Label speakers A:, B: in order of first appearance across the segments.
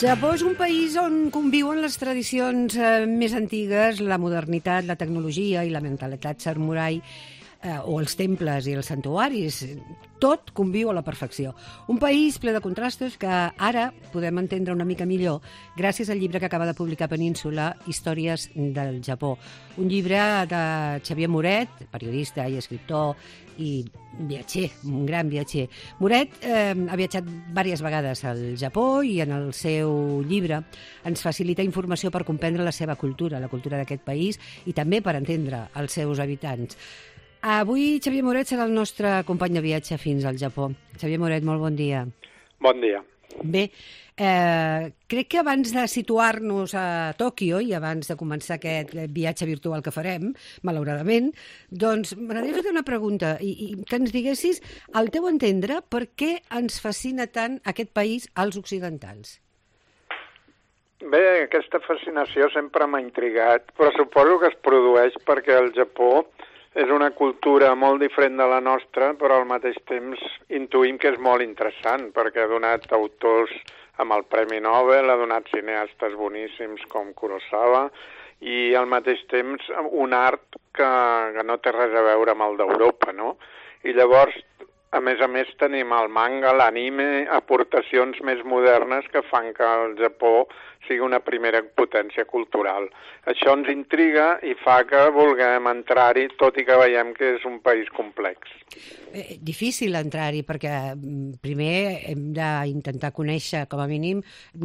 A: Japó és un país on conviuen les tradicions més antigues, la modernitat, la tecnologia i la mentalitat samurai, o els temples i els santuaris. Tot conviu a la perfecció. Un país ple de contrastos que ara podem entendre una mica millor gràcies al llibre que acaba de publicar Península, Històries del Japó. Un llibre de Xavier Moret, periodista i escriptor i viatger, un gran viatger. Moret ha viatjat diverses vegades al Japó i en el seu llibre ens facilita informació per comprendre la seva cultura, la cultura d'aquest país i també per entendre els seus habitants. Avui Xavier Moret serà el nostre company de viatge fins al Japó. Xavier Moret, molt bon dia.
B: Bon dia.
A: Bé, crec que abans de situar-nos a Tòquio i abans de començar aquest viatge virtual que farem, malauradament, doncs m'agradaria fer una pregunta i que ens diguessis, al teu entendre, per què ens fascina tant aquest país als occidentals?
B: Bé, aquesta fascinació sempre m'ha intrigat, però suposo que es produeix perquè el Japó és una cultura molt diferent de la nostra, però al mateix temps intuïm que és molt interessant, perquè ha donat autors amb el Premi Nobel, ha donat cineastes boníssims com Kurosawa, i al mateix temps un art que no té res a veure amb el d'Europa, no? I llavors, a més, tenim el manga, l'anime, aportacions més modernes que fan que el Japó sigui una primera potència cultural. Això ens intriga i fa que vulguem entrar-hi, tot i que veiem que és un país complex.
A: Difícil entrar-hi, perquè primer hem d'intentar conèixer, com a mínim,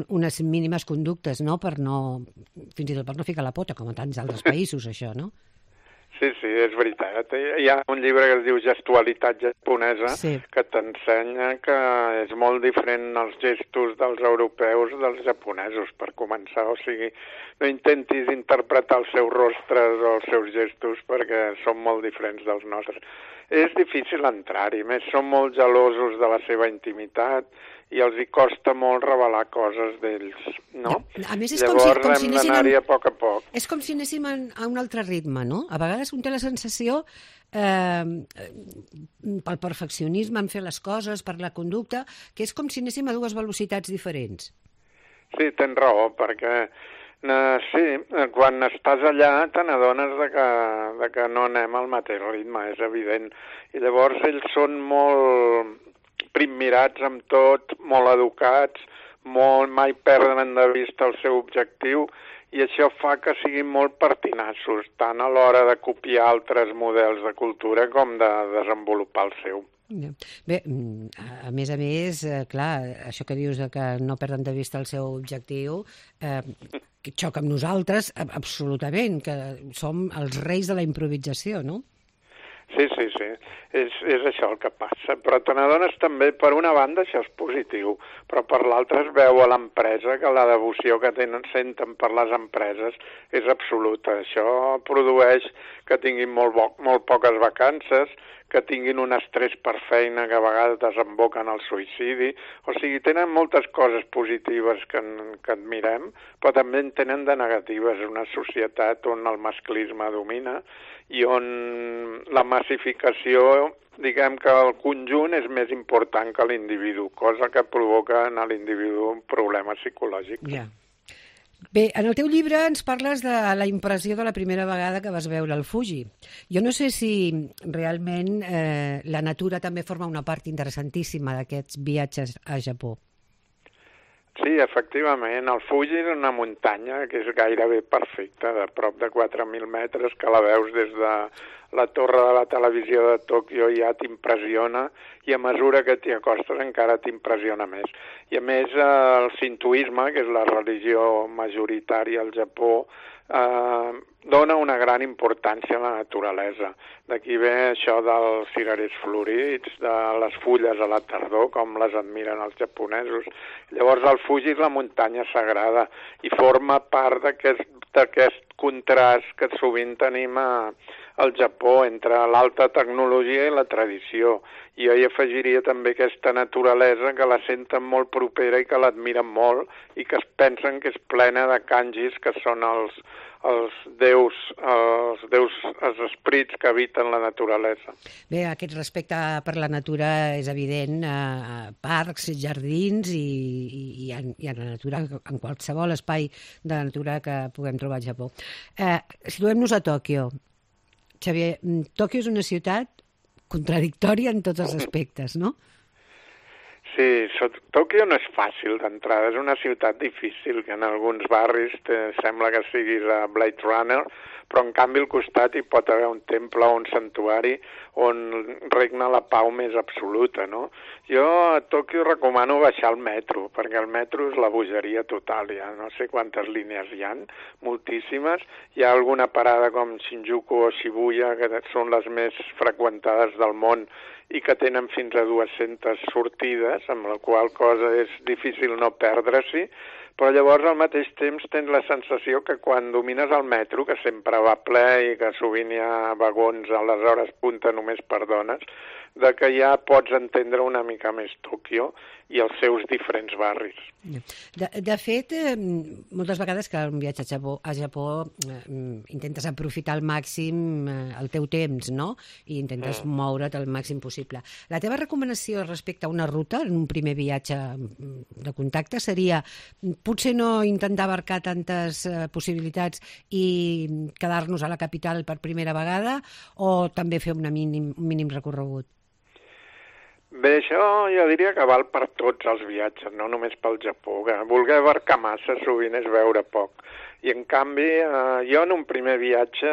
A: unes mínimes conductes, no? Fins i tot per no ficar la pota, com a tants altres països, això, no?
B: Sí, és veritat. Hi ha un llibre que es diu Gestualitat japonesa, que t'ensenya que és molt diferent els gestos dels europeus dels japonesos, per començar. O sigui, no intentis interpretar els seus rostres o els seus gestos perquè són molt diferents dels nostres. És difícil entrar-hi, més són molt gelosos de la seva intimitat i els hi costa molt revelar coses d'ells, no?
A: A més,
B: Llavors hem d'anar-hi a poc.
A: És com si anéssim a un altre ritme, no? A vegades un té la sensació, pel perfeccionisme en fer les coses, per la conducta, que és com si anéssim a dues velocitats diferents.
B: Sí, tens raó, perquè quan estàs allà te n'adones de que no anem al mateix ritme, és evident. I llavors ells són molt primmirats amb tot, molt educats, mai perden de vista el seu objectiu, i això fa que siguin molt pertinaços, tant a l'hora de copiar altres models de cultura com de desenvolupar el seu.
A: Bé, a més, clar, això que dius que no perden de vista el seu objectiu, que xoca amb nosaltres, absolutament, que som els reis de la improvisació, no?
B: Sí, és això el que passa, però te n'adones també, per una banda això és positiu, però per l'altra es veu a l'empresa que la devoció que senten per les empreses és absoluta. Això produeix que tinguin molt poques vacances, que tinguin un estrès per feina que a vegades desemboca en el suïcidi. O sigui, tenen moltes coses positives que admirem, però també en tenen de negatives. És una societat on el masclisme domina i on la massificació, diguem que el conjunt és més important que l'individu, cosa que provoca en l'individu problemes psicològics.
A: Ja. Bé, en el teu llibre ens parles de la impressió de la primera vegada que vas veure el Fuji. Jo no sé si realment la natura també forma una part interessantíssima d'aquests viatges a Japó.
B: Sí, efectivament, el Fuji és una muntanya que és gairebé perfecta, de prop de 4.000 metres, que la veus des de la torre de la televisió de Tòquio i ja t'impressiona, i a mesura que t'hi acostes encara t'impressiona més. I a més el sintoisme, que és la religió majoritària al Japó, dona una gran importància a la naturalesa. D'aquí ve això dels cirerers florits, de les fulles a la tardor, com les admiren els japonesos. Llavors el Fuji és la muntanya sagrada i forma part d'aquest contrast que sovint tenim al Japó entre l'alta tecnologia i la tradició. I jo hi afegiria també aquesta naturalesa que la senten molt propera i que l'admiren molt i que es pensen que és plena de kanjis, que són els déus esperits que habiten la naturalesa.
A: Bé, aquest respecte per la natura és evident a parcs, jardins i en la natura, en qualsevol espai de la natura que puguem trobar al Japó. Situem-nos a Tòquio. Xavier, Tòquio és una ciutat contradictòria en tots els aspectes, no?
B: Sí, Tòquio no és fàcil d'entrada, és una ciutat difícil, que en alguns barris sembla que siguis a Blade Runner, però en canvi al costat hi pot haver un temple o un santuari on regna la pau més absoluta, no? Jo a Tòquio recomano baixar al metro, perquè el metro és la bogeria total, ja no sé quantes línies hi ha, moltíssimes. Hi ha alguna parada com Shinjuku o Shibuya, que són les més freqüentades del món i que tenen fins a 200 sortides, amb la qual cosa és difícil no perdre-s'hi, però llavors al mateix temps tens la sensació que quan domines el metro, que sempre va ple i que sovint hi ha vagons a les hores punta només per dones, de que ja pots entendre una mica més Tòquio i els seus diferents barris.
A: De fet, moltes vegades que un viatge a Japó intentes aprofitar al màxim el teu temps, no? I intentes moure't el màxim possible. La teva recomanació respecte a una ruta, en un primer viatge de contacte, seria potser no intentar abarcar tantes possibilitats i quedar-nos a la capital per primera vegada o també fer un mínim recorregut?
B: Bé, això jo diria que val per tots els viatges, no només pel Japó. Que voler abarcar massa sovint és veure poc. I en canvi, jo en un primer viatge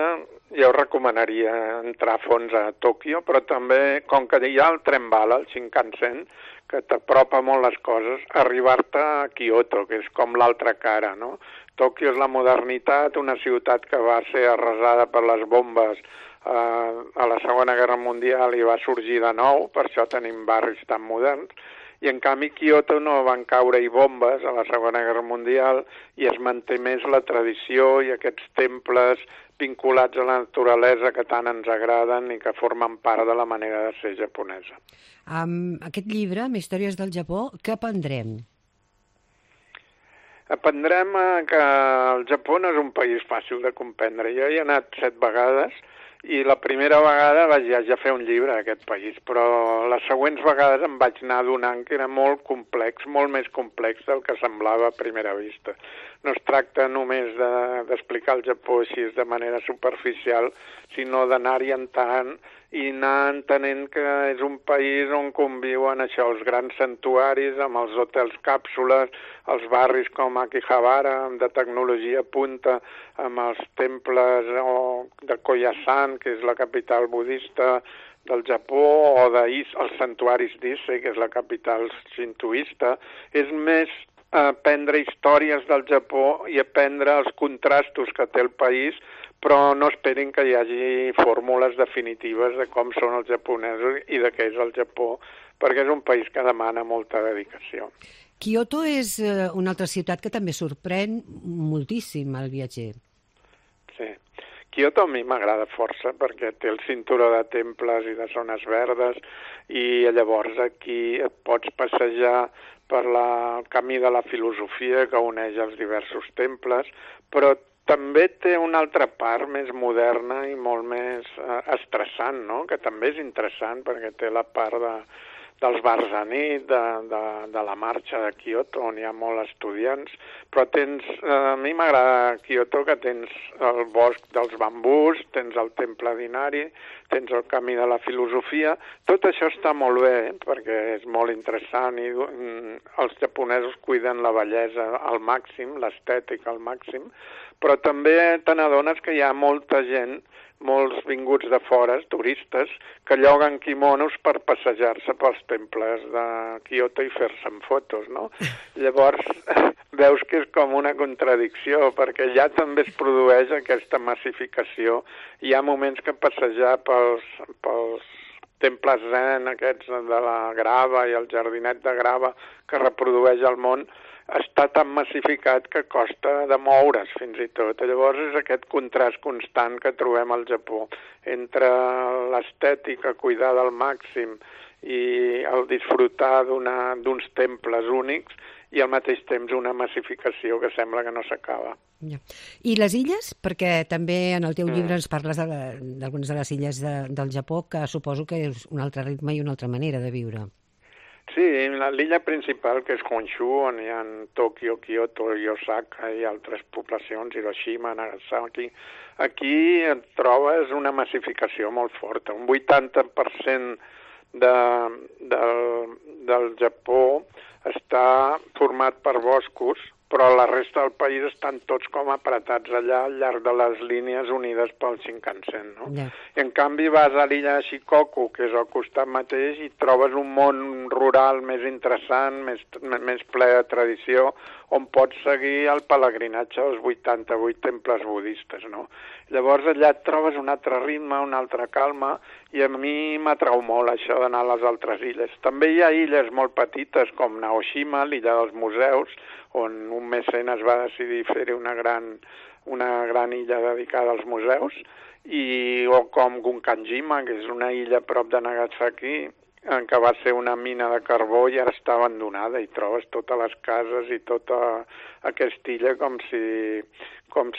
B: jo recomanaria entrar a fons a Tòquio, però també, com que hi ha el tren bala, el Shinkansen, que t'apropa molt les coses, arribar-te a Kyoto, que és com l'altra cara, no? Tòquio és la modernitat, una ciutat que va ser arrasada per les bombes a la Segona Guerra Mundial i va sorgir de nou, per això tenim barris tan moderns, i en canvi Kyoto no van caure-hi bombes a la Segona Guerra Mundial i es manté més la tradició i aquests temples vinculats a la naturalesa que tant ens agraden i que formen part de la manera de ser japonesa.
A: Amb aquest llibre, amb històries del Japó, què aprendrem?
B: Aprendrem que el Japó no és un país fàcil de comprendre. Jo hi he anat 7 vegades i la primera vegada vaig ja fer un llibre d'aquest país, però les següents vegades em vaig anar adonant que era molt complex, molt més complex del que semblava a primera vista. No es tracta només d'explicar el Japó així de manera superficial, sinó d'anar-hi entrant i anar entenent que és un país on conviuen això, els grans santuaris, amb els hotels càpsules, els barris com Akihabara, de tecnologia punta, amb els temples de Koyasan, que és la capital budista del Japó, o els santuaris d'Ise, que és la capital shintoista. És més aprendre històries del Japó i aprendre els contrastos que té el país, però no esperin que hi hagi fórmules definitives de com són els japonesos i de què és el Japó, perquè és un país que demana molta dedicació.
A: Kyoto és una altra ciutat que també sorprèn moltíssim al viatger.
B: Sí. Kyoto a mi m'agrada força perquè té el cinturó de temples i de zones verdes i llavors aquí et pots passejar per el camí de la filosofia que uneix els diversos temples, però també té una altra part més moderna i molt més estressant, no? Que també és interessant perquè té la part dels bars a nit, de la marxa de Kyoto, on hi ha molts estudiants, però a mi m'agrada Kyoto que tens el bosc dels bambús, tens el temple d'Inari, tens el camí de la filosofia, tot això està molt bé, perquè és molt interessant i els japonesos cuiden la bellesa al màxim, l'estètica al màxim, però també te n'adones que hi ha molta gent, molts vinguts de fora, turistes, que lloguen quimonos per passejar-se pels temples de Kyoto i fer-se fotos, no? Llavors veus que és com una contradicció, perquè ja també es produeix aquesta massificació. Hi ha moments que passejar pels temples zen, aquests de la grava i el jardinet de grava que reprodueix el món, està tan massificat que costa de moure's fins i tot. Llavors és aquest contrast constant que trobem al Japó entre l'estètica cuidada al màxim i el disfrutar d'uns temples únics i al mateix temps una massificació que sembla que no s'acaba.
A: Ja. I les illes? Perquè també en el teu llibre ens parles d'algunes de les illes del Japó, que suposo que és un altre ritme i una altra manera de viure.
B: Sí, l'illa principal, que és Honshu, on hi ha Tòquio, Kyoto i Osaka i altres poblacions, Hiroshima, Nagasaki, aquí et trobes una massificació molt forta. Un 80% del Japó està format per boscos, però la resta del país estan tots com apretats allà al llarg de les línies unides pel Shinkansen, no? Yeah. I en canvi vas a l'illa de Shikoku, que és al costat mateix, i trobes un món rural més interessant, més ple de tradició, on pots seguir el pelegrinatge dels 88 temples budistes, no? Llavors allà et trobes un altre ritme, una altra calma, i a mi m'atrau molt això d'anar a les altres illes. També hi ha illes molt petites, com Naoshima, l'illa dels museus, on un mecenes va decidir fer-hi una gran illa dedicada als museus, o com Gunkanjima, que és una illa a prop de Nagasaki, que va ser una mina de carbó i ara està abandonada, i trobes totes les cases i tota aquesta illa com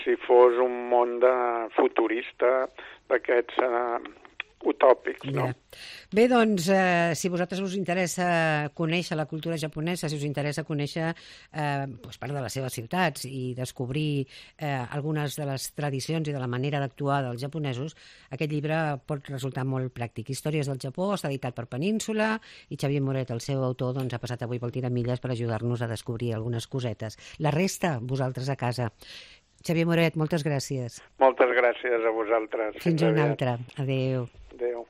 B: si fos un món futurista d'aquests utòpics, no? Yeah.
A: Bé, doncs, si a vosaltres us interessa conèixer la cultura japonesa, si us interessa conèixer part de les seves ciutats i descobrir algunes de les tradicions i de la manera d'actuar dels japonesos, aquest llibre pot resultar molt pràctic. Històries del Japó està editat per Península i Xavier Moret, el seu autor, doncs, ha passat avui pel Tiramilles per ajudar-nos a descobrir algunes cosetes. La resta, vosaltres a casa. Xavier Moret, moltes gràcies.
B: Moltes gràcies a vosaltres.
A: Fins una altra. Adéu.
B: Adéu.